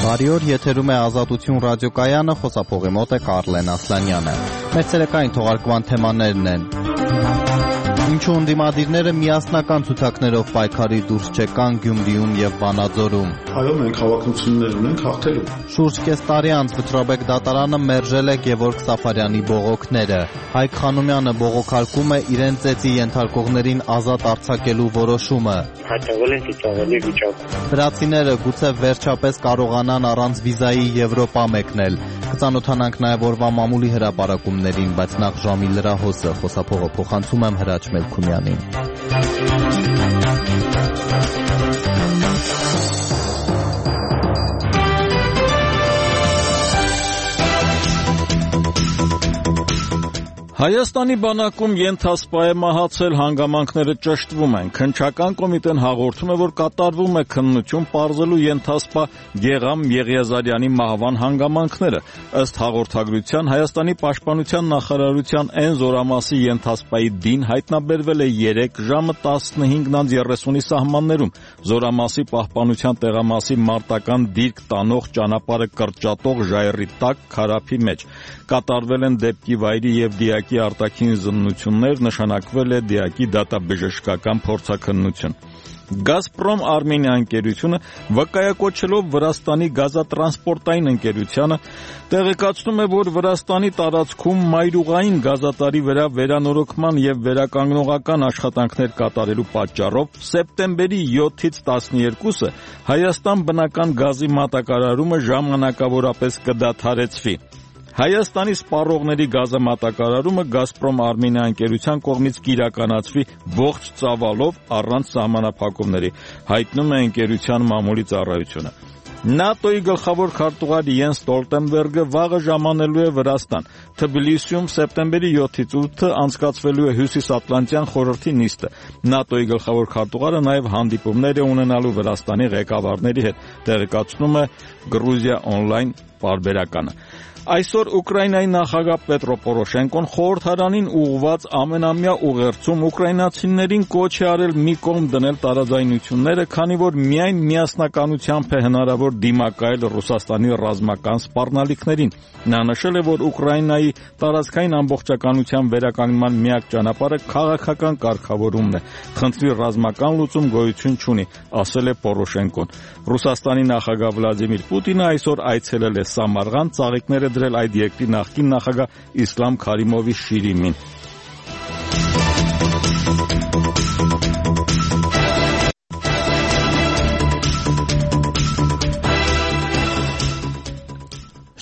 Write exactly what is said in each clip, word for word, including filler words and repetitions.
Բարի օր, եթերում է Ազատություն ռադիոկայանը, խոսափողի մոտ է Կարլեն Ասլանյանը։ Մեր ցերեկային թողարկման թեմաներն են. Ինչու ընդդիմադիրները միասնական ցուցակներով պայքարի դուրս չեկան Գյումրիում եւ Վանաձորում։ Այո, մենք հավակնություններ ունենք հաղթելու։ Շուրջ կես տարի անց Վճռաբեկ դատարանը մերժել է Գևորգ Սաֆարյանի բողոքները։ Հայկ Խանոմյանը բողոքարկում է իրեն ծեծի ենթարկողներին ազատ արձակելու որոշումը։ Հայտնվել են ծիծաղելի վիճակում։ Վրացիները գուցե վերջապես կարողանան առանց վիզայի Եվրոպա մեկնել։ Կծանոթանանք նաև օրվա մամուլի հրապարակումներին, բայց նախ ժամի լրահոսը, խոսափողը փոխանցում եմ Հրաչ Մելքումյանին։ Հայաստանի բանակում ենթասպա է մահացել, հանգամանքները ճշտվում են։ Քննչական կոմիտեն հաղորդում է, որ կատարվում է քննություն պարզելու ենթասպա Գեղամ Եղիազարյանի մահվան հանգամանքները։ Ըստ հաղորդագրության Հայաստանի պաշտպանության նախարարության N զորամասի ենթասպայի դին հայտնաբերվել է երեկ ժամը տասնհինգ երեսունի սահմաններում։ Զորամասի պահպանության տեղամասի մարտական դիրք տանող ճանապարհը կրճատող ժայռի տակ քարափի մեջ։ Կատարվել են դեպքի վայրի եւ դիակի արտաքին զննություններ, նշանակվել է դիակի դատաբժշկական փորձաքննություն։ Գազպրոմ Արմենիա ընկերությունը վկայակոչելով Վրաստանի գազատրանսպորտային ընկերությանը տեղեկացնում է, որ Վրաստանի տարածքում մայրուղային գազատարի վրա վերանորոգման եւ վերականգնողական աշխատանքներ կատարելու պատճառով սեպտեմբերի յոթից տասներկուսը Հայաստան բնական գազի մատակարարումը ժամանակավորապես կդադարեցվի։ Հայաստանի սպառողների գազամատակարարումը Գազպրոմ Արմենիա ընկերության կողմից կիրականացվի ողջ ծավալով առանց սահմանափակումների, հայտնում է ընկերության մամուլի ծառայությունը։ ՆԱՏՕ-ի գլխավոր քարտուղար Յենս Ստոլտենբերգը վաղը ժամանելու է Վրաստան։ Թբիլիսիում սեպտեմբերի յոթից ութը անցկացվելու է Հյուսիսատլանտյան խորհրդի նիստը։ ՆԱՏՕ-ի գլխավոր քարտուղարը նաև հանդիպումներ է ունենալու Վրաստանի ղեկավարների հետ, տեղեկացնում է Գրուզիա օնլայն պարբերականը։ Այսօր Ուկրաինայի նախագահ Պետրո Պորոշենկոն խորհրդարանին ուղղված ամենամյա ուղերձում ուկրաինացիներին կոչ է արել մի կողմ դնել տարաձայնությունները, քանի որ միայն միասնականությամբ է հնարավոր դիմակայել Ռուսաստանի ռազմական սպառնալիքներին։ Նա նշել է, որ Ուկրաինայի տարածքային ամբողջականության վերականգնման միակ ճանապարհը քաղաքական կարգավորումն է։ Խնդրի ռազմական լուծում գոյություն չունի, ասել է Պորոշենկոն։ Ռուսաստանի նախագահ Վլադիմիր Պուտինը այսօր այցելել է Սամարղանդ, ծաղիկները դրել այդ երկրի նախկին նախագահ Իսլամ Քարիմովի շիրիմին։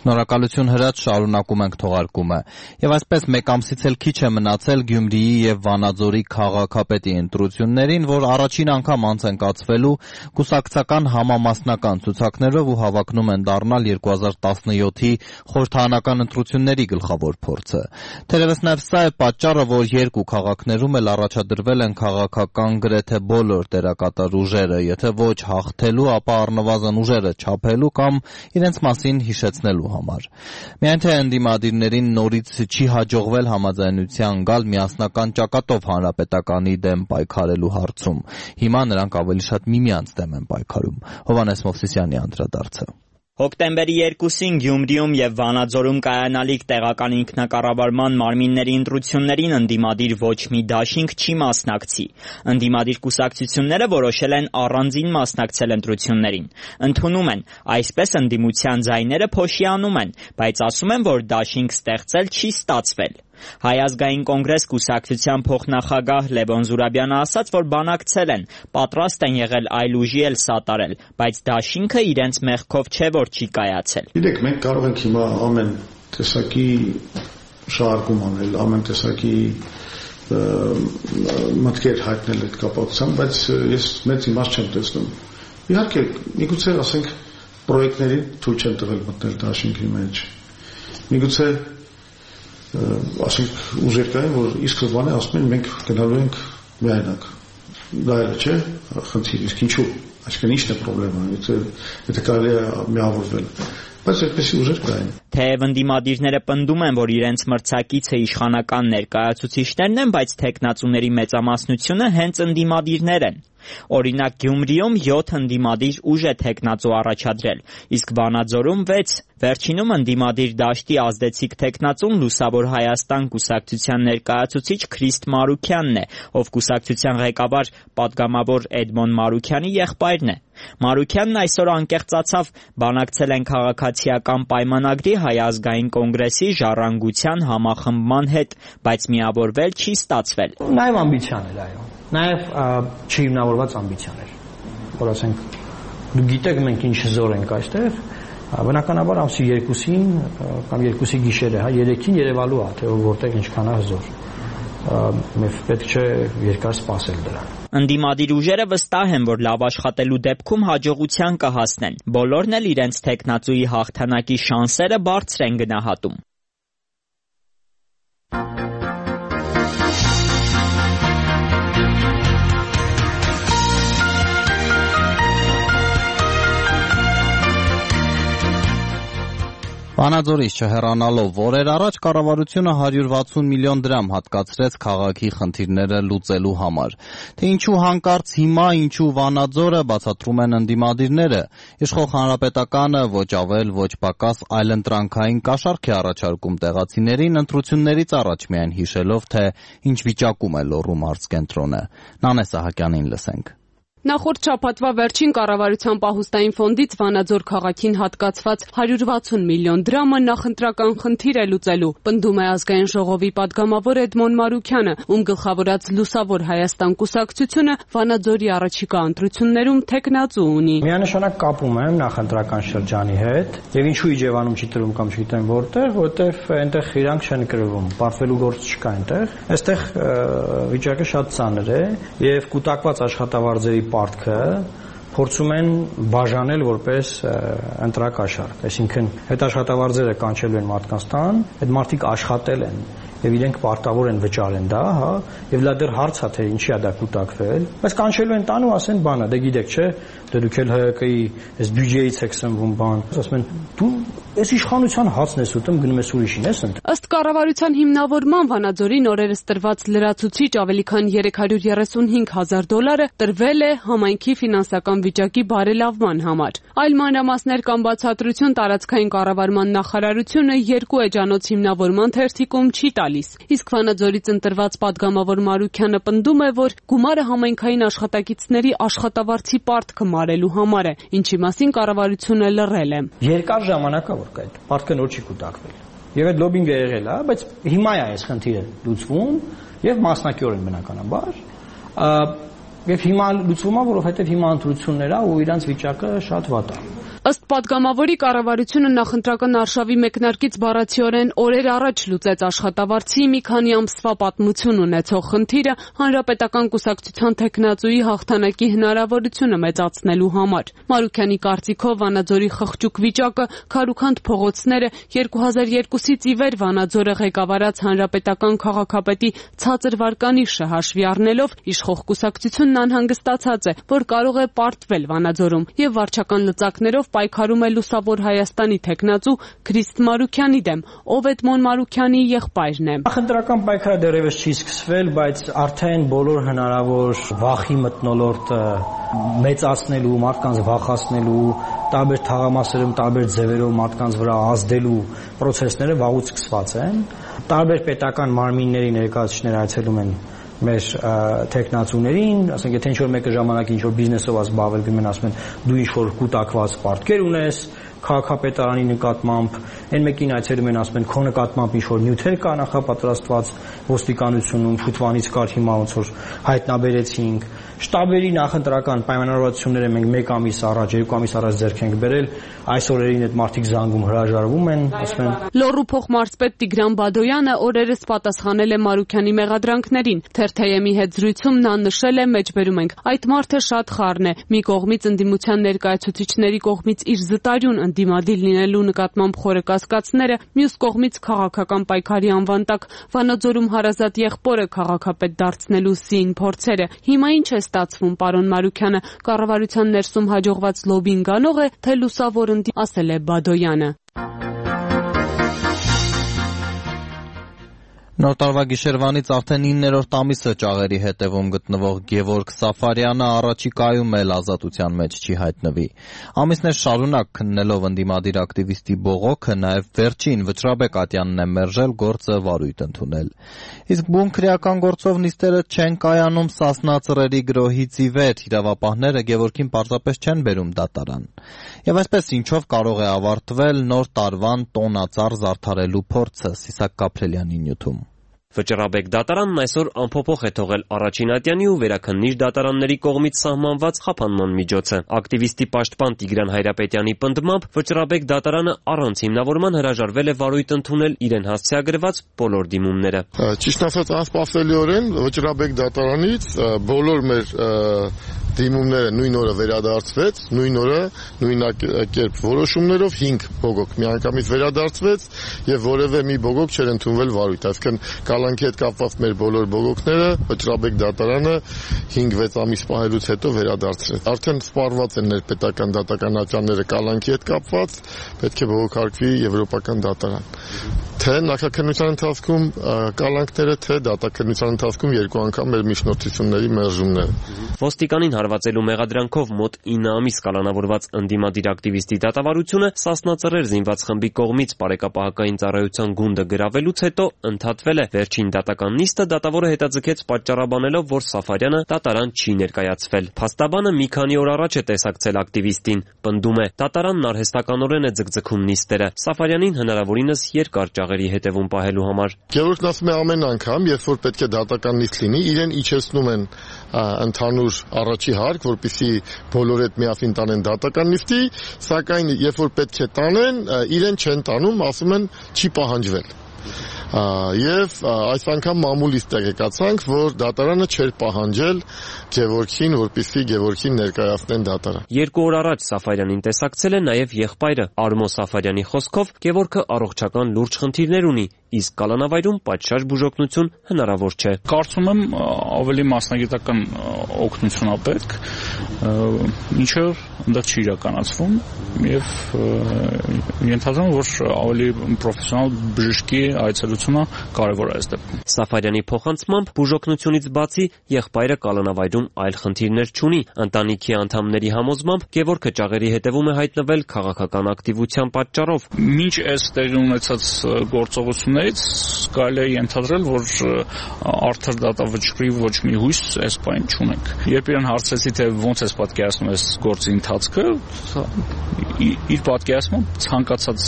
Շնորհակալություն Հրաչ, շարունակում ենք թողարկումը։ Եվ այսպես մեկ ամսից էլ քիչ է մնացել Գյումրիի եւ Վանաձորի քաղաքապետի ընտրություններին, որ առաջին անգամ անց են կացվելու կուսակցական համամասնական ցուցակներով ու հավակնում են դառնալ երկու հազար տասնյոթի խորհրդարանական ընտրությունների գլխավոր փորձը։ Թերևս նաև սա է պատճառը, որ երկու քաղաքներում էլ առաջադրվել են քաղաքական գրեթե բոլոր դերակատար ուժերը, եթե ոչ հաղթելու, ապա առնվազն ուժերը չափելու կամ իրենց մասին հիշեցնելու համար։ Միայն թե ընդդիմադիրներին նորից չի հաջողվել համաձայնության գալ միասնական ճակատով հանրապետականի դեմ պայքարելու հարցում։ Հիմա նրանք ավելի շատ միմյանց դեմ են պայքարում։ Հովհաննես Մովսիսյանի անդրադարձը։ Հոկտեմբերի երկուսին Գյումրիում եւ Վանաձորում կայանալիք տեղական ինքնակառավարման մարմինների ընտրություններին ընդդիմադիր ոչ մի դաշինք չի մասնակցի։ Ընդդիմադիր կուսակցությունները որոշել են առանձին մասնակցել ընտրություններին։ Ընդունում են, այսպես ընդդիմության ձայները փոշիանում են, բայց ասում են, որ դաշինք ստեղծել չի ստացվել։ Հայ ազգային կոնգրես կուսակցության փոխնախագահ Լևոն Զուրաբյանը ասաց, որ բանակցել են, պատրաստ են եղել այլ ուժի էլ սատարել, բայց դաշինքը իրենց մեղքով չէ, որ չի կայացել։ Գիտեք, մենք կարող ենք հիմա ամեն տեսակի շարժում անել, ամեն տեսակի մտքեր հայտնել այդ կապակցությամբ, բայց ես մեծ իմաստ չեմ տեսնում։ Իհարկե, միգուցե ասենք պրոյեկտների թույլ չեն տվել մտնել դաշինքի մեջ։ Միգուցե ասենք ուժեր կային, որ իսկ բանը ասում են մենք գնալու ենք միայնակ։ Դա էլ չէ, խնդիր, իսկ ինչու։ Այսինքն ի՞նչն է խնդրեմը, եթե եթե կարելի է միավորվել։ Բայց այդպեսի ուժեր կային։ Թեև ընդդիմադիրները պնդում են, որ իրենց մրցակիցը իշխանական ներկայացուցիչներն են, բայց թեկնածուների մեծամասնությունը հենց ընդդիմադիրներ են։ Օրինակ Գյումրիում յոթ ընդդիմադիր ուժ է թեկնածու առաջադրել, իսկ Վանաձորում վեց։ Վերջինում ընդդիմադիր դաշտի ազդեցիկ թեկնածուն Լուսավոր Հայաստան կուսակցության ներկայացուցիչ Քրիստ Մարուքյանն է, ով կուսակցության ղեկավար պատգամավոր Էդմոն Մարուքյանի եղբայրն է։ Մարուքյանն այսօր անկեղծացավ, բանակցել են քաղաքացիական պայմանագրի Հայ ազգային կոնգրեսի ժառանգության համախմբման հետ, բայց միավորվել չի ստացվել։ Նաև ամբիցիան էր, այո։ Նաև չհիմնավորված ամբիցիան էր, որ ասենք դուք գիտեք մենք ինչ զոր ենք այստեղ, բնականաբար ամսի երկուսին կամ երկուսի գիշերը, հա, երեքին երևալու է, թե որտեղ ինչքան է զոր։ Մենք պետք չէ երկար սպասել դրան։ Ընդդիմադիր ուժերը վստահ են, որ լավ աշխատելու դեպքում հաջողության կհասնեն։ Բոլորն էլ իրենց թեկնածուի հաղթանակի շանսերը բարձր են գնահատում։ Վանաձորից չհեռանալով օրեր առաջ կառավարությունը հարյուր վաթսուն միլիոն դրամ հատկացրեց քաղաքի խնդիրները լուծելու համար։ Թե ինչու հանկարծ հիմա, ինչու Վանաձորը, բացատրում են ընդդիմադիրները։ Իշխող Հանրապետականը ոչ ավել, ոչ պակաս այլընտրանքային կաշառք է առաջարկում տեղացիներին, ընտրություններից առաջ միայն հիշելով, թե ինչ վիճակում է Լոռու մարզկենտրոնը։ Նանե Սահակյանին լսենք։ Նախորդ շաբաթվա վերջին կառավարության պահուստային ֆոնդից Վանաձոր քաղաքին հատկացված հարյուր վաթսուն միլիոն դրամը նախընտրական խնդիր է լուծելու, պնդում է ազգային ժողովի պատգամավոր Էդմոն Մարուքյանը, ում գլխավորած Լուսավոր Հայաստան կուսակցությունը Վանաձորի առաջիկա ընտրություններում թեկնածու ունի։ Միանշանակ կապում եմ նախընտրական շրջանի հետ, եւ ինչու Իջևանում չի տրվում կամ չգիտեմ որտեղ, որտեղ այնտեղ իրանք չեն կրվում, պարտվելու գործ չկա այնտեղ։ Այստեղ վիճակը շատ ծանր է եւ կուտակված աշխատավարձերի պարտքը փորձում են բաժանել որպես ընտրակաշառք, այսինքն այդ աշխատավարձերը կանչելու են մարդկանց տան, այդ մարդիկ աշխատել են եւ իրենք պարտավոր են վճարեն դա, հա, եւ լա դեռ հարց է թե ինչի է դա կուտակվել, բայց կանչելու են տան ու ասեն բանը, դե գիտեք չէ, դե դուք էլ ՀՀԿ-ի այս բյուջեից եք սնվում բան, ասում են դու այս իշխանության հացն ես ուտում, գնում ես ուրիշին ես ընդ։ Ըստ կառավարության հիմնավորման Վանաձորին օրերս տրված լրացուցիչ ավելի քան երեք հարյուր երեսունհինգ հազար դոլարը տրվել է համայնքի ֆինանսական վիճակի բարելավման համար։ Այլ մանրամասներ կամ բացատրություն տարածքային կառավարման նախարարությունը երկու էջանոց հիմնավորման թերթիկում չի տալիս։ Իսկ Վանաձորից ընտրված պատգամավոր Մարուքյանը պնդում է, որ գումարը համայնքային աշխատակիցների աշխատավարձի պարտքը մարելու համար է, ինչի մասին կառավարությունը լռել է։ Երկար ժամանակ է որ կա այդ պարտքը նոր չի կուտակվել։ Եվ այդ լոբինգը եղել է, բայց հիմա է այս խնդիրը լուծվում եւ մասնակիորեն բնականաբար։ Եվ հիմա լուծվում է, որովհետեւ հիմա ընտրություններ ա ու իրանց վիճակը շատ վատ է։ Ըստ պատգամավորի կառավարությունը նախընտրական արշավի մեկնարկից բառացիորեն օրեր առաջ լուծեց աշխատավարձի մի քանի ամսվա պատմություն ունեցող խնդիրը հանրապետական կուսակցության թեկնածուի հաղթանակի հնարավորությունը մեծացնելու համար։ Մարուքյանի կարծիքով Վանաձորի խղճուկ վիճակը, քարուքանդ փողոցները, երկու հազար երկուսից ի վեր Վանաձորը ղեկավարած հանրապետական քաղաքապետի ցածր վարկանիշը հաշվի առնելով իշխող կուսակցությունն անհանգստացած է, որ կարող է պարտվել Վանաձորում եւ վարչական լծակներով պայքարում է Լուսավոր Հայաստանի թեկնածու Քրիստ Մարուքյանի դեմ, ով Էդմոն Մարուքյանի եղբայրն է։ Նախընտրական պայքարը դեռևս չի սկսվել, բայց արդեն բոլոր հնարավոր վախի մթնոլորտը մեծացնելու, մարդկանց վախացնելու, տարբեր թաղամասերում, տարբեր ձևերով մարդկանց վրա ազդելու process-ները վաղուց սկսված են։ Տարբեր պետական մարմինների ներկայացուցիչներ այցելում են մեր տեխնացուներին, ասենք եթե ինչ-որ մեկը ժամանակ ինչ-որ բիզնեսով զբաղվել, գնում են ասում են դու ինչ-որ կուտակված պարտքեր ունես քաղաքապետարանի նկատմամբ, այն մեկին այցելում են ասում են քո նկատմամբ ինչ-որ նյութեր կա նախապատրաստված ոստիկանությունում, շուտվանից կար հիմա ոնց որ հայտնաբերեցինք, շտաբերի նախընտրական պայմանավորվածությունները մենք մեկ ամիս առաջ, երկու ամիս առաջ ձեռք ենք բերել, այս օրերին այդ մարդիկ զանգում հրաժարվում են, ասում են։ Լոռու փոխմարզպետ Տիգրան Բադոյանը օրերս պատասխանել է Մարուքյանի մեղադրանքներին։ Թերթ-ի հետ զրույցում նա նշել է, մեջբերում ենք, այդ մարդը շատ խառն է, մի կողմից ընդդիմության ներկայացուցիչների կողմից իր զտարյուն ընդդիմադիր լինելու նկատմամբ խորը կասկածները, մյուս կողմից քաղաքական պայքարի անվան տակ Վանաձորում հարազատ եղբորը քաղաքապետ դարձնելու սին փորձերը։ Հիմա ինչ է ստացվում, պարոն Մարուքյանը, կառավարության ներսում հաջողված լոբին գանող է, թե լուսավոր ընդդիմադիր, ասել է Բադոյանը։ Նոր տարվա գիշերվանից արդեն իններորդ ամիսը ճաղերի հետևում գտնվող Գևորգ Սաֆարյանը առաջիկայում էլ ազատության մեջ չի հայտնվի։ Ամիսներ շարունակ քննելով ընդդիմադիր ակտիվիստի բողոքը, նաև վերջին Վճռաբեկ Ատյանն է մերժել գործը վարույթ ընդունել։ Իսկ բուն քրեական գործով նիստերը չեն կայանում Սասնա ծռերի գրոհից ի վեր, իրավապահները Գևորգին պարզապես չեն բերում դատարան։ Եվ այսպես ինչով կարող է ավարտվել նոր տարվան տոնածառ զարդարելու փորձը, Սիսակ Կապրելյանի նյութում։ Վճռաբեկ դատարանն այսօր անփոփոխ է թողել առաջին ատյանի ու վերաքննիչ դատարանների կողմից սահմանված խափանման միջոցը։ Ակտիվիստի պաշտպան Տիգրան Հայրապետյանի պնդմամբ Վճռաբեկ դատարանը առանց հիմնավորման հրաժարվել է վարույթ ընդունել իրեն հասցեագրված բոլոր դիմումները։ Ճիշտ ասած, անսպասելիորեն Վճռաբեկ դատարանից բոլոր մեր դիմումները նույն օրը վերադարձվեց, նույն օրը նույնակերպ որոշումներով հինգ բողոք միանգամից վերադարձվեց եւ որևէ մի բողոք չէր ընդունվել վարույթ, այսինքն կալանքի հետ կապված մեր բոլոր բողոքները Վճռաբեկ դատարանը հինգ վեց ամիս պահելուց հետո վերադարձրեց։ Արդեն սպառված են ներպետական դատական ատյանները կալանքի հետ կապված, պետք է բողոքարկվի եվրոպական դատարան։ Թե նախաքննության ընթացքում կալանքները, թե դատաքննության ընթացքում երկու անգամ մեր միջնորդությունների մերժումները։ Ոստիկանին հարվածելու մեղադրանքով մոտ ինը ամիս կալանավորված ընդդիմադիր ակտիվիստի դատավարությունը Սասնա ծռեր զինված խմբի կողմից բարեկապահական ծառայության գունդը գրավելուց հետո ընդհատվել է։ Վերջին դատական նիստը դատավորը հետաձգեց պատճառաբանելով, որ Սաֆարյանը դատարան չի ներկայացվել։ Փաստաբանը մի քանի օր առաջ է տեսակցել ակտիվիստին, պնդում է, դատարանն արհեստականորեն է ձգձգում նիստերը Սաֆարյանին հնարավորինս երկար ճաղերի հետևում պահելու համար։ Գևորգն ասում է ամեն անգամ, երբ որ պետք է դատական նիստ լինի, իրեն իջեցնում են ընդհանուր առաջի հարկ, որպեսզի բոլորը հետ միասին տանեն դատական նիստի, սակայն երբ որ պետք է տանեն, իրեն չեն տանում, ասում են չի պահանջվել։ Եվ այս անգամ մամուլից տեղեկացանք, որ դատարանը չէր պահանջել Գևորգին, որպեսզի Գևորգին ներկայացնեն դատարան։ Երկու օր առաջ Սաֆարյանին տեսակցել է նաև եղբայրը Արմո Սաֆարյանի խոսքով Գևորգը առողջական լուրջ խնդիրներ ունի, իսկ կալանավայրում պատշաճ բուժօգնություն հնարավոր չէ։ Կարծում եմ ավելի մասնագիտական օգնություն է պետք, ինչը այնտեղ չի իրականացվում եւ ենթադրում եմ, որ ավելի պրոֆեսիոնալ բժշկի այցելությունը կարևոր է այս դեպքում։ Սաֆարյանի փոխանցմամբ բուժօգնությունից բացի եղբայրը կալանավայրում այլ խնդիրներ չունի։ Ընտանիքի անդամների համոզմամբ Գևորգը ճաղերի հետևում է հայտնվել քաղաքական ակտիվության պատճառով։ Մինչ այս տեղի ունեցած գործողություններից կարելի է ենթադրել, որ արդար դատավճռի ոչ մի հույս այս պայն չունենք։ Երբ իրեն հարցրեցի, թե ոնց ես պատկերացնում այս գործի ընթացքը, իր պատկերացմամբ ցանկացած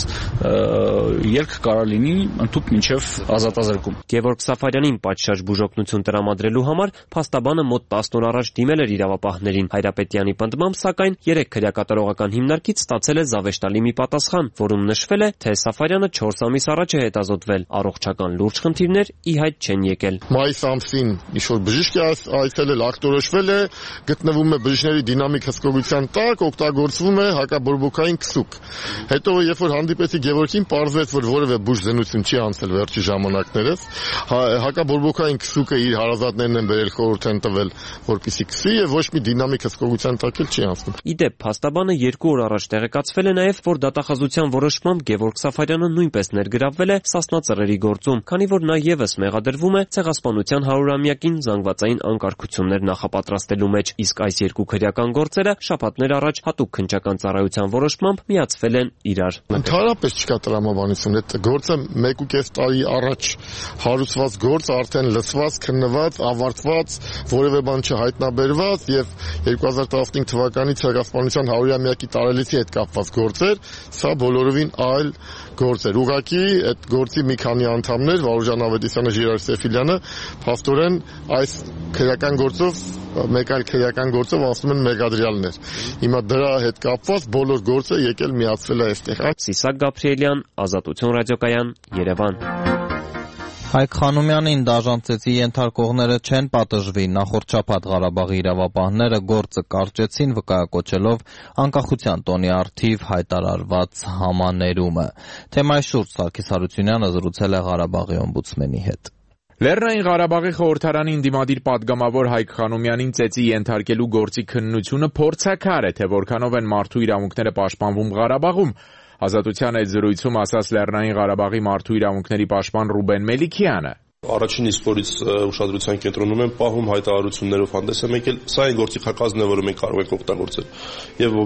ելք կարող լինի ընդհանուր մինչև ազատազրկում։ Գևորգ Սաֆարյանին պատշաճ բուժօգնություն տրամադրելու համար փաստաբանը մոտ տասն օր առաջ դիմել էր իրավապահներին։ Հայրապետյանի պնդմամբ, սակայն երեք քրեակատարողական հիմնարկից ստացել է զավեշտալի մի պատասխան, որում նշվել է, թե Սաֆարյանը չորս ամիս առաջ է հետազոտվել, առողջական լուրջ խնդիրներ ի հայտ չեն եկել։ Մայիս ամսին ինչ-որ բժիշկ այցելել, ակտորոշվել է, գտնվում է բժիշկների դինամիկ հսկողության տակ, օգտագործվում է հակաբորբոքային քսուկ։ Հետո երբ որ հանդիպեցի Գևորգին, պարզվեց, որ որևէ բուժզնություն չի անցել վերջի ժամանակներս, հակաբորբոքային քսուկը իր հարազատներն են բերել, խորհուրդ են տվել, որպեսզի քսի եւ ոչ մի դինամիկ հսկողության տակ էլ չի անցնում։ Իդեպ փաստաբանը երկու օր առաջ տեղեկացվել է նաեւ, որ դատախազության որոշմամբ Գևորգ Սաֆարյանը նույնպես ներգրավվել է Սասնա ծռերի գործում, քանի որ նա եւս մեղադրվում է ցեղասպանության հարյուրամյակին զանգվածային անկարգություններ նախապատրաստելու մեջ, իսկ այս երկու քրեական գործերը շաբաթներ առաջ հատուկ քննչական ծառայության որոշմամբ միացվել են իրար։ Ընդհանրապես չկա տրամաբանություն, այդ գործը մեկ ու կես տարի առաջ հարուցված գործ, արդեն լսված, քննված, ավարտված, որևէ բան չհայտնաբերված եւ երկու հազար տասնհինգ թվականի ցեղասպանության հարյուրամյակի տարելիցի հետ կապված գործեր, սա բոլորովին այլ գործ էր։ Ուղղակի այդ գործի մի քանի անդամներ, Վարուժան Ավետիսյանը, Ժիրայր Սեֆիլյանը, փաստորեն այս քրեական գործով, մեկ այլ քրեական գործով ասում են մեղադրյալներ։ Հիմա դրա հետ կապված բոլոր գործը եկել միացվել է այստեղ։ Սիսակ Գաբրիելյան, Ազատություն ռադիոկայան, Երևան։ Հայկ Խանոմյանին դաժան ծեծի ենթարկողները չեն պատժվի, նախորդ շաբաթ Ղարաբաղի իրավապահները գործը կարճեցին, վկայակոչելով անկախության տոնի առթիվ հայտարարված համաներումը։ Թեմայի շուրջ Սարգիս Հարությունյանը զրուցել է Ղարաբաղի օմբուդսմենի հետ։ Լեռնային Ղարաբաղի խորհրդարանի ընդդիմադիր պատգամավոր Հայկ Խանոմյանին ծեծի ենթարկելու գործի քննությունը փորձաքար է, թե որքանով են մարդու իրավունքները պաշտպանվում Ղարաբաղում։ Ազատության այդ զրույցում ասաց Լեռնային Ղարաբաղի մարդու իրավունքների պաշտպան Ռուբեն Մելիքյանը։ Առաջին իսկ օրից ուշադրության կենտրոնում են պահում, հայտարարություններով հանդես է եկել, սա այն գործի խակազն է, որը մենք կարող ենք օգտագործել։ Եվ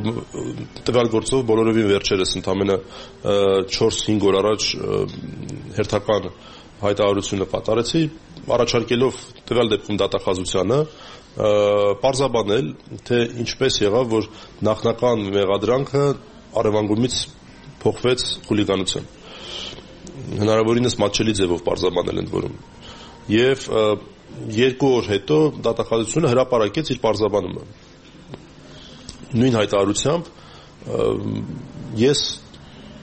տվյալ գործով բոլորովին վերջերս ընդամենը չորս-հինգ օր առաջ հերթական հայտարարությունը կատարեցի, առաջարկելով տվյալ դեպքում դատախազությանը պարզաբանել, թե ինչպես եղավ, որ նախնական մեղադրանքը առևանգումից փոխվեց խուլիգանության։ Հնարավորինս մատչելի ձևով պարզաբանել ընդ որում։ Եվ երկու օր հետո դատախազությունը հրապարակեց իր պարզաբանումը։ Նույն հայտարարությամբ ես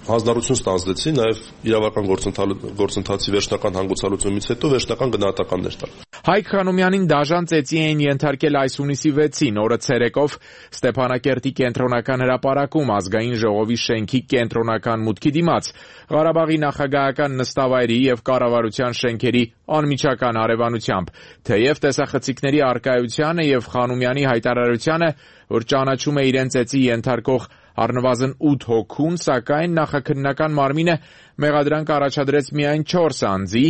հանձնառություն ստանձնեցի նաև իրավական գործընթացի վերջնական հանգուցալուծումից հետո վերջնական գնահատականներ տալ։ Հայկ Խանոմյանին դաժան ծեծի էին ենթարկել այս հունիսի վեցին, օրը ցերեկով Ստեփանակերտի կենտրոնական հրապարակում ազգային ժողովի շենքի կենտրոնական մուտքի դիմաց, Ղարաբաղի նախագահական նստավայրի եւ կառավարության շենքերի անմիջական հարևանությամբ, թեև տեսախցիկների առկայությանը եւ Խանոմյանի հայտարարությանը, որ ճանաչում է իրեն ծեծի ենթարկող առնվազն ութ հոգուն, սակայն նախաքննական մարմինը մեղադրանք առաջադրեց միայն չորս անձի,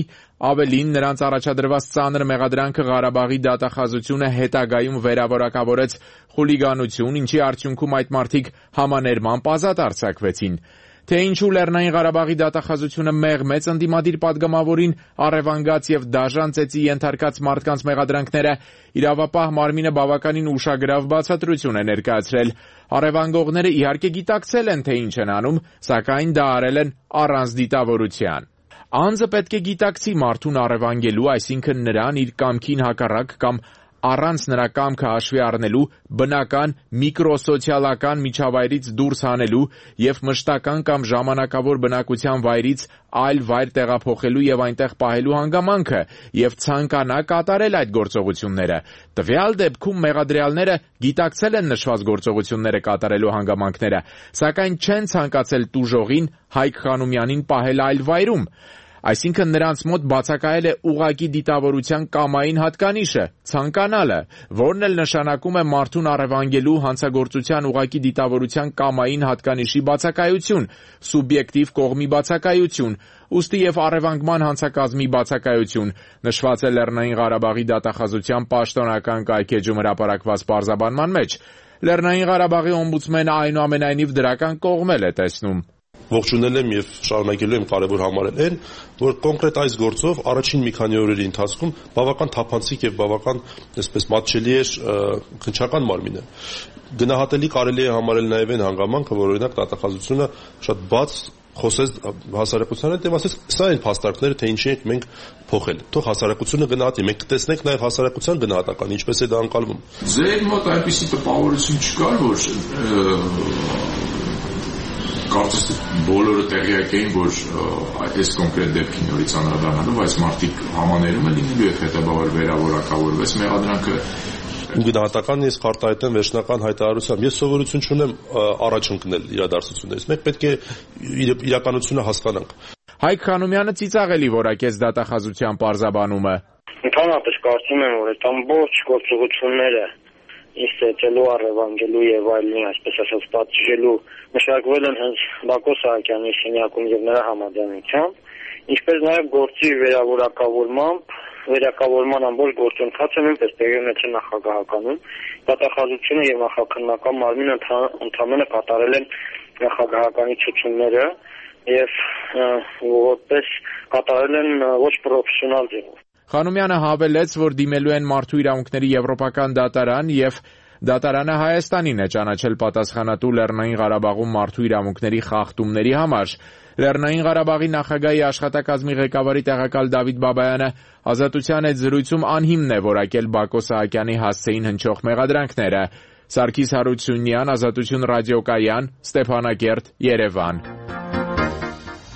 ավելին նրանց առաջադրված ծանր մեղադրանքը Ղարաբաղի դատախազությունը հետագայում վերավորակավորեց խուլիգանություն, ինչի արդյունքում այդ մարդիկ համաներմամբ ազատ արձակվեցին։ Թե ինչու Լեռնային Ղարաբաղի դատախազությունը մեղմեց ընդդիմադիր պատգամավորին առևանգած եւ դաժան ծեծի ենթարկած մարդկանց մեղադրանքները, իրավապահ մարմինը բավականին ուշագրավ բացատրություն է ներկայացրել։ Առևանգողները իհարկե գիտակցել են, թե ինչ են անում, սակայն դա արել են առանց դիտավորության։ Անձը պետք է գիտակցի մարդուն առևանգելու, այսինքն նրան իր կամքին հակառակ կամ առանց նրա կամքը հաշվի առնելու բնական միկրոսոցիալական միջավայրից դուրս հանելու եւ մշտական կամ ժամանակավոր բնակության վայրից այլ վայր տեղափոխելու եւ այնտեղ պահելու հանգամանքը եւ ցանկանա կատարել այդ գործողությունները։ Տվյալ դեպքում մեղադրյալները գիտակցել են նշված գործողությունները կատարելու հանգամանքները, սակայն չեն ցանկացել տուժողին Հայկ Խանոմյանին պահել այլ վայրում։ Այսինքն նրանց մոտ բացակայել է ուղղակի դիտավորության կամային հատկանիշը, ցանկանալը, որն էլ նշանակում է մարդուն առևանգելու հանցագործության ուղղակի դիտավորության կամային հատկանիշի բացակայություն, սուբյեկտիվ կողմի բացակայություն, ուստի եւ առևանգման հանցակազմի բացակայություն, նշված է Լեռնային Ղարաբաղի դատախազության պաշտոնական կայքեջում հրապարակված պարզաբանման մեջ։ Լեռնային Ղարաբաղի օմբուդսմենը այնուամենայնիվ դրական կողմել է տեսնում։ Ողջունել եմ եւ շարունակելու եմ կարևոր համարել այն, որ կոնկրետ այս գործով առաջին մի քանի օրերի ընթացքում բավական թափանցիկ եւ բավական այսպես մատչելի էր քննչական մարմինը։ Գնահատելի կարելի է համարել նաեւ այն հանգամանքը, որ օրինակ դատախազությունը շատ բաց խոսեց հասարակության հետ եւ ասեց սա այն փաստարկները, թե ինչի ենք մենք փոխել։ Թող հասարակությունը գնահատի, մենք կտեսնենք նաեւ հասարակության գնահատական, ինչպես է դա անցալվում։ Ձեր մոտ այնպեսի տպավորություն չկար, որ կարծես բոլորը տեղյակ էին, որ այս կոնկրետ դեպքի նորից անդրադառնալով այս մարդիկ համաներում են լինելու եւ հետաբար վերավորակավորվեց մեղադրանքը։ Գնահատական ես կարտահայտեմ վերջնական հայտարարությամբ։ Ես սովորություն չունեմ առաջ ընկնել իրադարձություններից։ Մենք պետք է իրականությունը հասկանանք։ Հայկ Խանոմյանը ծիծաղելի որակեց դատախազության պարզաբանումը։ Ընդհանրապես կարծում եմ, որ այդ ամբողջ գործողությունները ինձ ծեծելու, առևանգելու եւ այլն, այսպես ասած, պատժելու մշակվել են հենց Բակո Սահակյանի սենյակում եւ նրա համաձայնությամբ, ինչպես նաեւ գործի վերավորակավորմամբ, վերակավորման ամբողջ գործընթացը նույնպես տեղի ունեցել նախագահականում, դատախազությունը եւ նախաքննական մարմինը ընդհանրապես կատարել են նախագահականի ցուցումները եւ որպես կատարել են ոչ պրոֆեսիոնալ ձևով։ Խանոմյանը հավելեց, որ դիմելու են մարդու իրավունքների եվրոպական դատարան եւ դատարանը Հայաստանին է ճանաչել պատասխանատու Լեռնային Ղարաբաղում մարդու իրավունքների խախտումների համար։ Լեռնային Ղարաբաղի նախագահի աշխատակազմի ղեկավարի տեղակալ Դավիթ Բաբայանը ազատության այդ զրույցում անհիմն է որակել Բակո Սահակյանի հասցեին հնչող մեղադրանքները։ Սարգիս Հարությունյան, Ազատություն ռադիոկայան, Ստեփանակերտ, Երևան։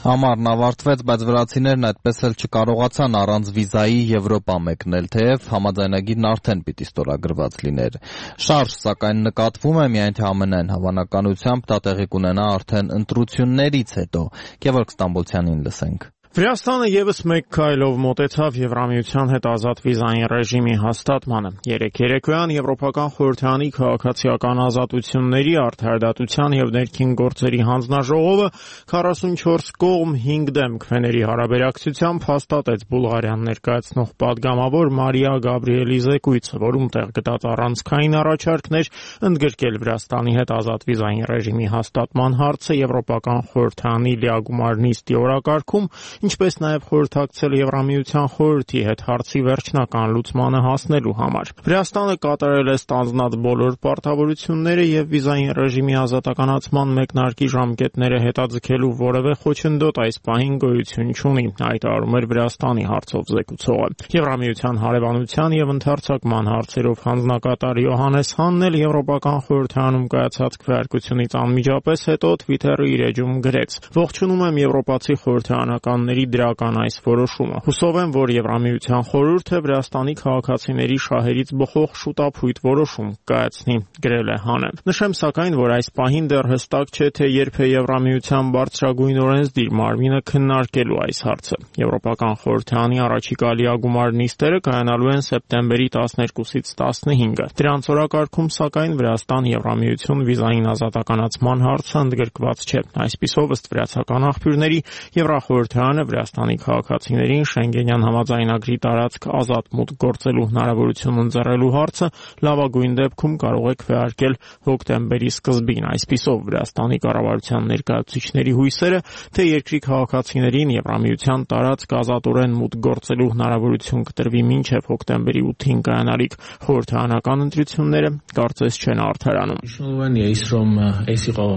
Ամառն ավարտվեց, բայց վրացիներն այդպես էլ չկարողացան առանց վիզայի Եվրոպա մեկնել, թեև համաձայնագիրն արդեն պիտի ստորագրված լիներ։ Շարժ, սակայն, նկատվում է, միայն թե ամենայն հավանականությամբ դա տեղի կունենա արդեն ընտրություններից հետո։ Գևորգ Ստամբոլցյանին լսենք։ Վրաստանը եւս մեկ քայլով մոտեցավ Եվրամիության հետ ազատ վիզային ռեժիմի հաստատմանը։ Երեկ երեկոյան Եվրոպական խորհրդարանի քաղաքացիական ազատությունների, արդարադատության եւ ներքին գործերի հանձնաժողովը քառասունչորս կողմ հինգ դեմ քվեների հարաբերակցությամբ հաստատեց Բուլղարիան ներկայացնող падգամավոր Մարիա Գաբրիելի զեկույցը, որում տեղ գտած առանցքային առաջարկներ ընդգրկել Վրաստանի հետ ազատ վիզային ռեժիմի հաստատման հարցը Եվրոպական խորհրդարանի լիագումար նիստի օրակարգում, ինչպես նաև խորհրդակցել Եվրամիության խորհրդի հետ հարցի վերջնական լուծմանը հասնելու համար։ Վրաստանը կատարել է ստանձնած բոլոր պարտավորությունները եւ վիզային ռեժիմի ազատականացման մեկնարկի ժամկետները հետաձգելու որևէ խոչընդոտ այս պահին գոյություն չունի, հայտարարում էր Վրաստանի հարցով զեկուցողը։ Եվրամիության հարևանության եւ ընդհանրացման հարցերով հանձնակատար Յոհանես Հանն էլ Եվրոպական խորհրդարանում կայացած քվեարկությունից անմիջապես հետո Twitter-ի իր էջում գրեց. «Ողջունում եմ եվրոպացի խորհրդարանական դրական այս որոշումը։ Հուսով եմ, որ Եվրամիության խորհուրդը Վրաստանի քաղաքացիների շահերից բխող շուտափույթ որոշում կայացնի», գրել է Հանը։ Նշեմ սակայն, որ այս պահին դեռ հստակ չէ, թե երբ է Եվրամիության բարձրագույն օրենսդիր մարմինը քննարկելու այս հարցը։ Եվրոպական խորհրդարանի առաջիկա լիագումար նիստերը կայանալու են սեպտեմբերի տասներկուսից տասնհինգը։ Դրանց օրակարգում սակայն Վրաստան Եվրամիություն վիզային ազատականացման հարցը ընդգրկված չէ։ Այսպիսով, ըստ վրացական աղբյուրների, Եվրախորհրդարանը Վրաստանի քաղաքացիներին Շենգենյան համաձայնագրի տարածք ազատ մուտք գործելու հնարավորություն ընձեռելու հարցը լավագույն դեպքում կարող է քվեարկել հոկտեմբերի սկզբին։ Այսպիսով, Վրաստանի կառավարության ներկայացուցիչների հույսերը, թե երկրի քաղաքացիներին Եվրամիության տարածք ազատորեն մուտք գործելու հնարավորություն կտրվի մինչև հոկտեմբերի ութին կայանալիք խորհրդարանական ընտրությունները, կարծես չեն արդարանում։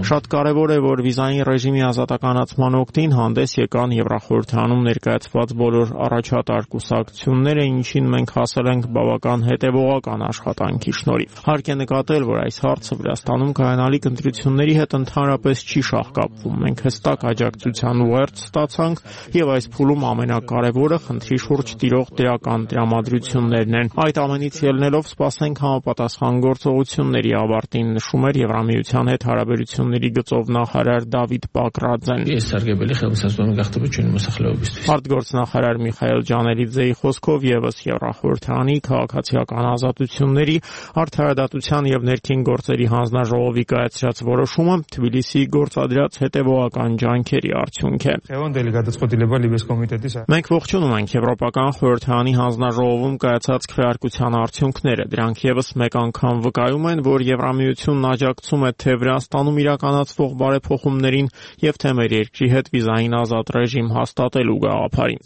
Շատ կարևոր է, որ վիզային ռեժիմի ազատականացման օգտին հանդես եկան Եվրախորհրդարանում ներկայացված բոլոր առաջատար կուսակցությունները, ինչին մենք հասել ենք բավական հետևողական աշխատանքի շնորհիվ։ Հարկ է նկատել, որ այս հարցը Վրաստանում կայանալիք ընտրությունների հետ ընդհանրապես չի շահկապվում։ Մենք հստակ աջակցության ուղերձ ստացանք եւ այս փուլում ամենակարևորը խնդրի շուրջ տիրող դրական տրամադրություններն են։ Այդ ամենից ելնելով սպասենք համապատասխան գործողությունների ավարտին, նշում էր Եվրամիության հետ հարաբերությունների գծով նախարար Դավիթ Պակրաձեն։ Արտգործնախարար Միխայել Ջանելիձեի խոսքով եւս Եվրախորհրդարանի քաղաքացիական ազատությունների, արդարադատության եւ ներքին գործերի հանձնաժողովի կայացրած որոշումը Թբիլիսիի գործադրած հետևողական ջանքերի արդյունք է։ Մենք ողջունում ենք Եվրոպական խորհրդարանի հանձնաժողովում կայացած քվեարկության արդյունքները։ Դրանք եւս մեկ անգամ վկայում են, որ Եվրամիությունն աջակցում է թե Վրաստանում իրականացվող բարեփոխումներին եւ թե մեր երկրի հետ վիզային ազատ ռեժիմ հաստատելու գաղափարին։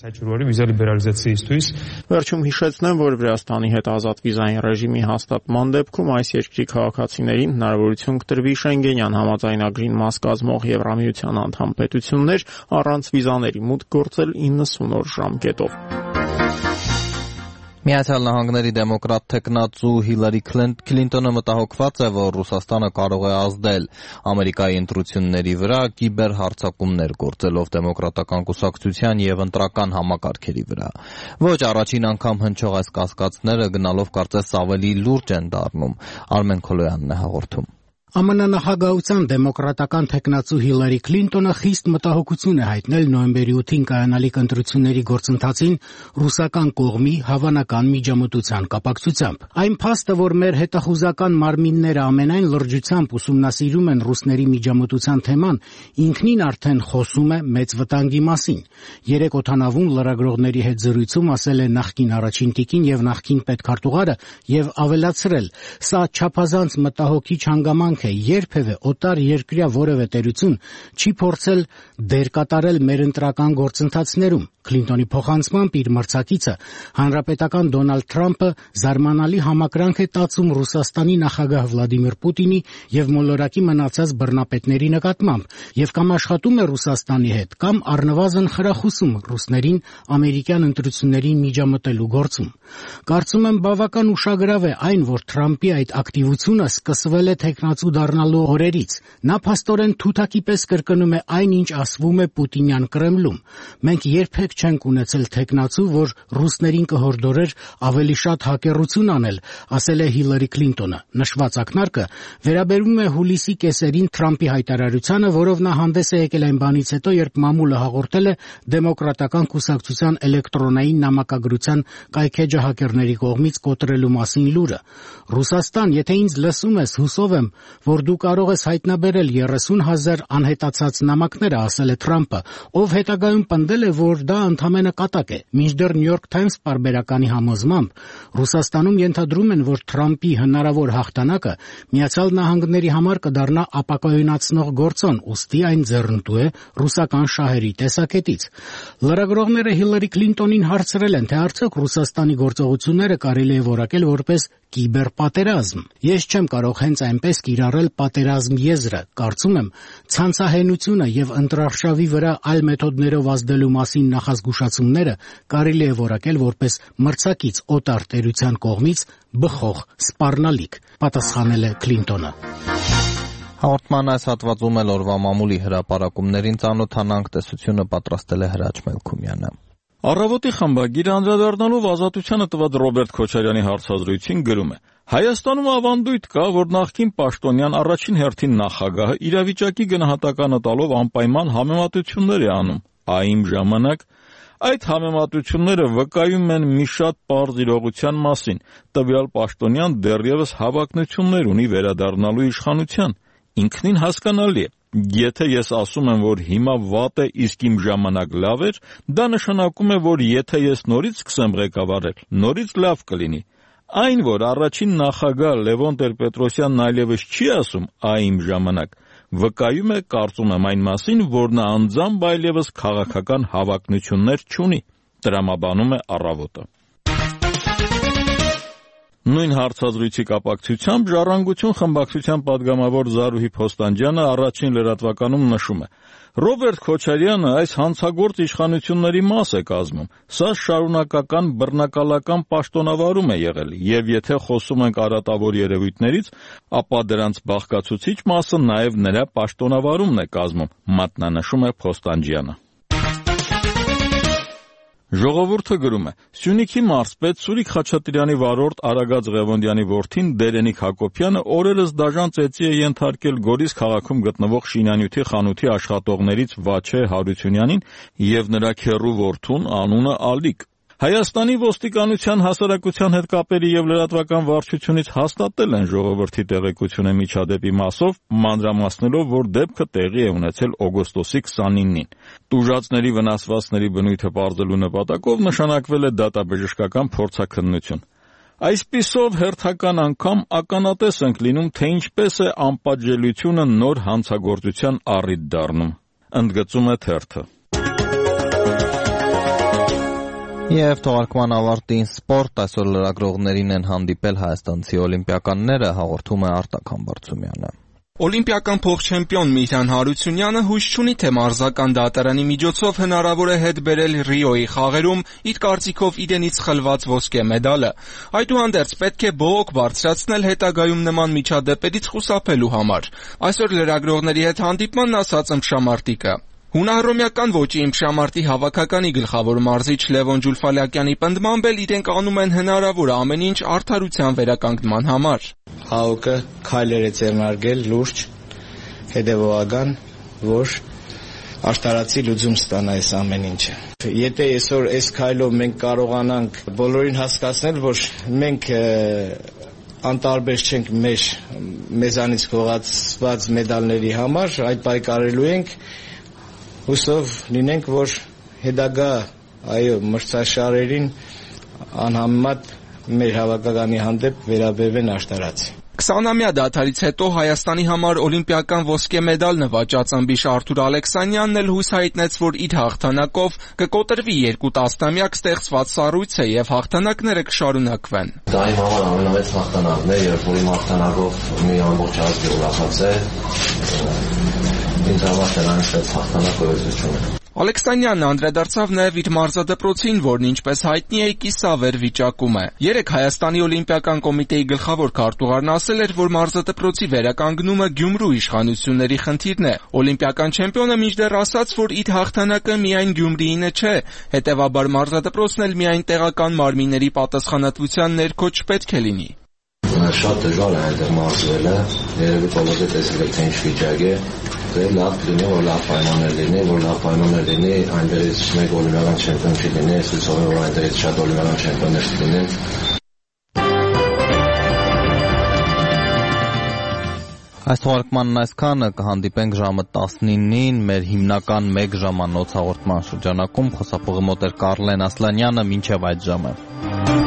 Վերջում հիշեցնեմ, որ Վրաստանի հետ ազատ վիզային ռեժիմի հաստատման դեպքում այս երկրի քաղաքացիներին հնարավորություն կտրվի Շենգենյան համաձայնագրին մաս կազմող Եվրամիության անդամ պետություններ առանց վիզաների մուտք գործել իննսուն օր ժամկետով։ Միացյալ Նահանգների դեմոկրատ թեկնածու Հիլարի Քլինտոնը մտահոգված է, որ Ռուսաստանը կարող է ազդել Ամերիկայի ընտրությունների վրա կիբերհարձակումներ գործելով դեմոկրատական կուսակցության եւ ընտրական համակարգերի վրա։ Ոչ առաջին անգամ հնչող այս կասկածները գնալով կարծես ավելի լուրջ են դառնում։ Արմեն Քոլոյանն է հաղորդում։ ԱՄՆ նախագահության դեմոկրատական թեկնածու Հիլարի Քլինտոնը խիստ մտահոգություն է հայտնել նոյեմբերի ութին կայանալիք ընտրությունների գործընթացին ռուսական կողմի հավանական միջամտության կապակցությամբ։ Այն փաստը, որ մեր հետախուզական մարմինները ամենայն լրջությամբ ուսումնասիրում են ռուսների միջամտության թեման, ինքնին արդեն խոսում է մեծ վտանգի մասին։ Երեք օդանավում լրագրողների հետ զրույցում ասել է նախկին առաջին տիկին եւ նախկին պետքարտուղարը եւ ավելացրել. «Սա չափազանց մտահոգիչ հանգամանք է, երբևէ օտար երկրյա որևէ տերություն չի փորձել դեր կատարել մեր ընտրական գործընթացներում»։ Քլինտոնի փոխանցմամբ իր մրցակիցը հանրապետական Դոնալդ Թրամփը զարմանալի համակրանք է տածում Ռուսաստանի նախագահ Վլադիմիր Պուտինի եւ մոլորակի մնացած բռնապետների նկատմամբ եւ կամ աշխատում է Ռուսաստանի հետ, կամ առնվազն խրախուսում ռուսներին ամերիկյան ընտրություններին միջամտելու գործում։ Կարծում եմ բավական ուշագրավ է այն, որ Թրամփի այդ ակտիվությունը սկսվել է թեկնածու տեխնացու դառնալու օրերից։ Նա փաստորեն թութակի պես կրկնում է այն, ինչ ասվում է Պուտինյան Կրեմլում։ Մենք երբեք չենք ունեցել տեխնացու, որ ռուսներին կհորդորեր ավելի շատ հակերություն անել, ասել է Հիլարի Քլինտոնը։ Նշված ակնարկը վերաբերում է հուլիսի կեսերին Թրամփի հայտարարությանը, որով նա հանդես է եկել այն բանից հետո, երբ մամուլը հաղորդել է Դեմոկրատական կուսակցության էլեկտրոնային նամակագրության կայքեջը հակերների կողմից կոտրելու մասին լուրը։ Ռուսաստան, եթե ինձ լսում ես, հուսով եմ, որ դու կարող ես հայտնաբերել երեսուն հազար անհետացած նամակները, ասել է Թրամփը, ով հետագայում պնդել է, որ դա ընդամենը կատակ է։ Մինչդեռ New York Times պարբերականի համոզմամբ Ռուսաստանում ենթադրում են, որ Թրամփի հնարավոր հաղթանակը Միացյալ Նահանգների համար կդառնա ապակայունացնող գործոն, ուստի այն ձեռնտու է ռուսական շահերի տեսակետից։ Լրագրողները Հիլարի Քլինտոնին հարցրել են, թե արդյոք Ռուսաստանի գործողությունները կարելի է որակել որպես կիբերպատերազմ։ Ես չեմ կարող հենց այնպես կիրառել պատերազմ եզրը։ Կարծում եմ, ցանցահենությունը եւ ընտրարշավի վրա այլ մեթոդներով ազդելու մասին նախազգուշացումները կարելի է որակել որպես մրցակից օտար տերության կողմից բխող սպառնալիք, պատասխանել է Քլինտոնը։ Հաղորդման այս հատվածում էլ օրվա մամուլի հրապարակումներին ծանոթանանք, տեսությունը պատրաստել է Հրաչ Մելքումյանը։ Առավոտի խմբագիրը անդրադառնալով Ազատությանը տված Ռոբերտ Քոչարյանի հարցազրույցին գրում է. Հայաստանում ավանդույթ կա, որ նախկին պաշտոնյան առաջին հերթին նախագահը իրավիճակի գնահատականը տալով անպայման համեմատություններ է անում։ Այն ժամանակ այդ համեմատությունները վկայում են մի շատ պարզ իրողության մասին. տվյալ պաշտոնյան դեռևս հավակնություններ ունի վերադառնալու իշխանության։ Ինքնին հասկանալի է. եթե ես ասում եմ, որ հիմա վատ է, իսկ իմ ժամանակ լավ էր, դա նշանակում է, որ եթե ես նորից սկսեմ ղեկավարել, նորից լավ կլինի։ Այն, որ առաջին նախագահ Լևոն Տեր-Պետրոսյանն այլևս չի ասում «այ իմ ժամանակ», վկայում է, կարծում եմ, այն մասին, որ նա անձամբ այլևս քաղաքական հավակնություններ չունի, տրամաբանում է Առավոտը։ Նույն հարցազրույցի կապակցությամբ «Ժառանգություն» խմբակցության պատգամավոր Զարուհի Փոստանջյանը առաջին լրատվականում նշում է. Ռոբերտ Քոչարյանը այս հանցագործ իշխանությունների մաս է կազմում։ Սա շարունակական բռնակալական պաշտոնավարում է եղել, եւ եթե խոսում ենք արատավոր երևույթներից, ապա դրանց բաղկացուցիչ մասը նաեւ նրա պաշտոնավարումն է կազմում, մատնանշում է Փոստանջյանը։ Ժողովուրդը գրում է. Սյունիքի մարզպետ Սուրիկ Խաչատրյանի վարորդ Արագած Ղևոնդյանի որդին Դերենիկ Հակոբյանը օրերս դաժան ծեծի է ենթարկել Գորիս քաղաքում գտնվող շինանյութի խանութի աշխատողներից Վաչե Հարությունյանին եւ նրա քեռու որդուն անունը Ալիկ։ Հայաստանի ոստիկանության հասարակության հետ կապերի եւ լրատվական վարչությունից հաստատել են ժողովրդի տեղեկությունը միջադեպի մասով, մանրամասնելով, որ դեպքը տեղի է ունեցել օգոստոսի քսանինին։ Տուժածների վնասվածքների բնույթը պարզելու նպատակով նշանակվել է դատաբժշկական փորձաքննություն։ Այսպիսով հերթական անգամ ականատես ենք լինում, թե ինչպես է անպատժելիությունը նոր հանցագործության առիթ դառնում, ընդգծում է թերթը։ Եվ թողարկման ավարտին սպորտ, այսօր լրագրողներին են հանդիպել հայաստանցի օլիմպիականները, հաղորդում է Արտակ Համբարձումյանը։ Օլիմպիական փոխչեմպիոն Միհրան Հարությունյանը հույս չունի, թե մարզական դատարանի միջոցով հնարավոր է հետ բերել Ռիոյի խաղերում իր կարծիքով իրենից խլված ոսկե մեդալը։ Այդուհանդերձ պետք է բողոք բարձրացնել հետագայում նման միջադեպերից խուսափելու համար։ Այսօր լրագրողների հետ հանդիպմանն ասաց ըմբշամարտիկը. Հունահռոմեական ոճի ըմբշամարտի հավաքականի գլխավոր մարզիչ Լևոն Ջուլֆալյակյանի պնդմամբ էլ իրենք անում են հնարավոր ամեն ինչ արդարության վերականգնման համար։ ՀԱՕԿ-ը քայլեր է ձեռնարկել լուրջ, հետևողական, որ արտարացի լուծում ստանա այս ամեն ինչը։ Եթե այսօր այս քայլով մենք կարողանանք բոլորին հասկացնել, որ մենք անտարբեր չենք մեր մեզանից գողացված մեդալների համար, այդ պայքարելու ենք, հուսով լինենք, որ հետագա այո մրցաշարերին անհամեմատ մեր հավաքականի հանդեպ վերաբերվեն աշտարացի։ քսանամյա դադարից հետո Հայաստանի համար օլիմպիական ոսկե մեդալ նվաճած ըմբիշ Արթուր Ալեքսանյանն էլ հույս հայտնեց, որ իր հաղթանակով կկոտրվի երկու տասնամյակ ստեղծված սառույցը եւ հաղթանակները կշարունակվեն։ Դա իմ համար ամենամեծ հաղթանակն է, երբ որ իմ հաղթանակով մի ամբողջ ազգ ուրախաց է։ Ինձ համար դրանից հաղթանակ գոյություն ունի։ Ալեքսանյանն անդրադարձավ նաև իր մարզադպրոցին, որն ինչպես հայտնի է, կիսավեր վիճակում է։ Երեկ Հայաստանի օլիմպիական կոմիտեի գլխավոր քարտուղարն ասել էր, որ մարզադպրոցի վերականգնումը Գյումրու իշխանությունների խնդիրն է։ Օլիմպիական չեմպիոնը մինչդեռ ասաց, որ իր հաղթանակը միայն Գյումրիինը չէ, հետևաբար մարզադպրոցն էլ միայն տեղական մարմինների պատասխանատվության ներքո չպետք է լինի։ Շատ դժվար է այնտեղ մարզվելը, երևի բոլորը տեսել եք թե ինչ վիճակ է, դե լավ լինի, որ լավ պայմաններ լինի, որ լավ պայմաններ լինի, այնտեղից մեկ օլիմպիական չեմպիոն չի լինի, ես հուսով եմ, որ այնտեղից շատ օլիմպիական չեմպիոններ չլինեն։ Այս թողարկմանն այսքանը, կհանդիպենք ժամը տասնինին մեր հիմնական մեկ ժամանոց հաղորդման շրջանակում, խոսափողի մոտ էր Կարլեն Ասլանյանը, մինչև այդ ժամը։